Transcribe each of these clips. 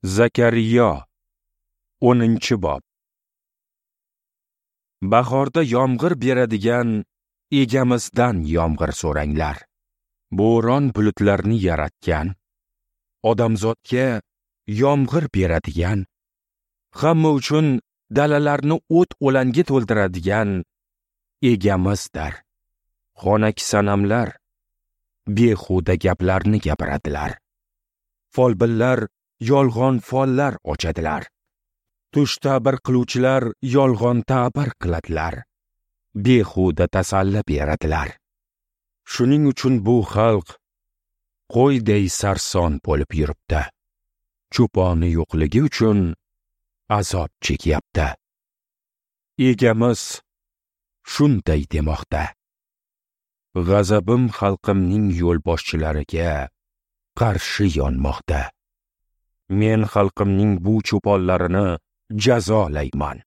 Zakariyo 10-bob. Bahorda yomg'ir beradigan Egamizdan yomg'ir so'ranglar. Bo'ron bulutlarni yaratgan, odamzodga yomg'ir beradigan, hamma uchun dalalarni o't o'langa to'ldiradigan Egamizdir. Xonak sanamlar behuda gaplarni gapiradilar. Folbinlar yolg'on follar ochadilar. Tush ta'bir qiluvchilar yolg'on ta'bir qiladilar. Behuda tasalli beradilar. Shuning uchun bu xalq qo'yday sarson bo'lib yuribdi. Cho'poni yo'qligi uchun azob chekyapti. Egamiz shunday demoqda: G'azabim xalqimning yo'lboshchilariga qarshi yonmoqda. Men xalqimning bu cho'ponlarini jazolayman.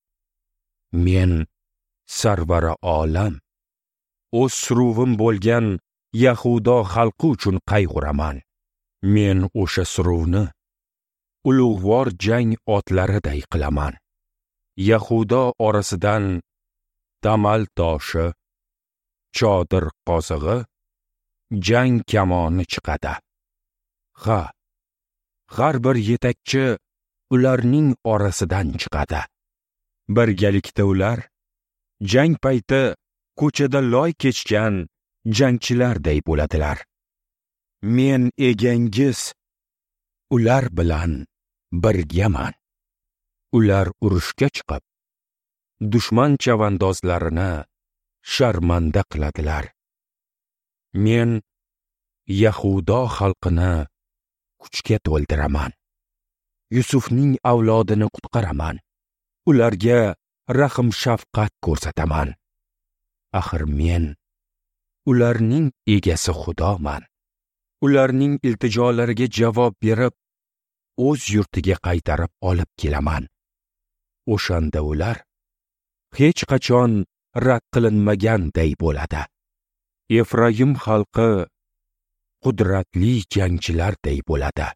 Men sarvari olam, o'z suruvim bo'lgan Yahudo xalqi uchun qayg'uraman. Men o'sha suruvni ulug'vor jang otlariday qilaman. Yahudo orasidan damal toshi, chodir qozig'i, jang kamoni chiqadi. Ha, har bir yetakchi ularning orasidan chiqadi. Birgalikda ular jang payti ko'chada loy kechgan jangchilarday bo'ladilar. Men egangiz ular bilan birgaman. Ular urushga chiqib, dushman chavandozlarini sharmanda qiladilar. Men Yahudo xalqini kuchga to'ldiraman. Yusufning avlodini qutqaraman. Ularga rahm shafqat ko'rsataman. Axir men ularning egasi Xudoman. Ularning iltijolariga javob berib, o'z yurtiga qaytarib olib kelaman. O'shanda ular hech qachon rad qilinmaganday bo'ladi. Efroyim xalqi qudratli jangchilarday bo'ladi.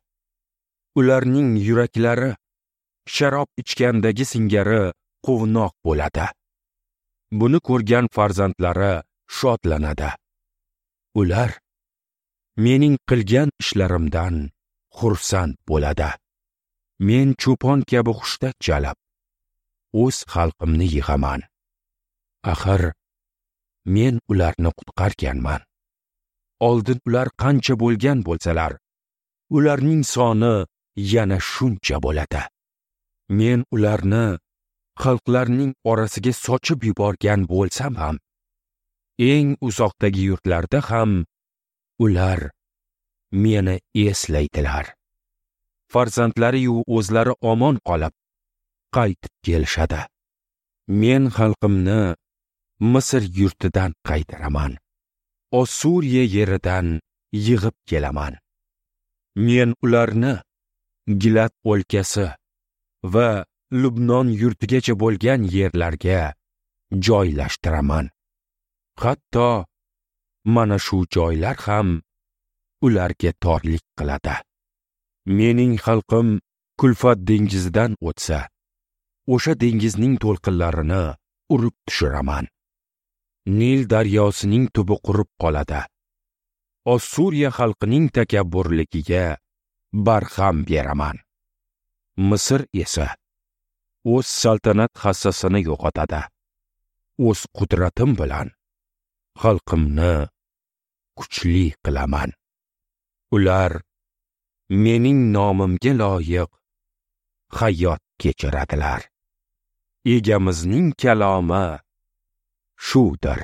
Ularning yuraklari sharob ichgandagi singari quvnoq bo'ladi. Buni ko'rgan farzandlari shodlanadi. Ular mening qilgan ishlarimdan xursand bo'ladi. Men cho'pon kabi hushtak chalib, o'z xalqimni yig'aman. Axir men ularni qutqarganman. Oldin ular qancha bo'lgan bo'lsalar, ularning soni yana shuncha bo'ladi. Men ularni xalqlarning orasiga sochib yuborgan bo'lsam ham, eng uzoqdagi yurtlarda ham ular meni eslaydilar. Farzandlari-yu o'zlari omon qolib, qaytib kelishadi. Men xalqimni Misr yurtidan qaytaraman. Ossuriya yeridan yig'ib kelaman. Men ularni Gilad o'lkasi va Lubnon yurtigacha bo'lgan yerlarga joylashtiraman. Hatto mana shu joylar ham ularga torlik qiladi. Mening xalqim Kulfat dengizidan o'tsa, o'sha dengizning to'lqinlarini urib tushiraman. Nil daryosining tubi qurib qoladi. Ossuriya xalqining takabburligiga barham beraman. Misr esa o'z saltanat hassasini yo'qotadi. O'z qudratim bilan xalqimni kuchli qilaman. Ular mening nomimga loyiq hayot kechiradilar. Egamizning kalomi shudir.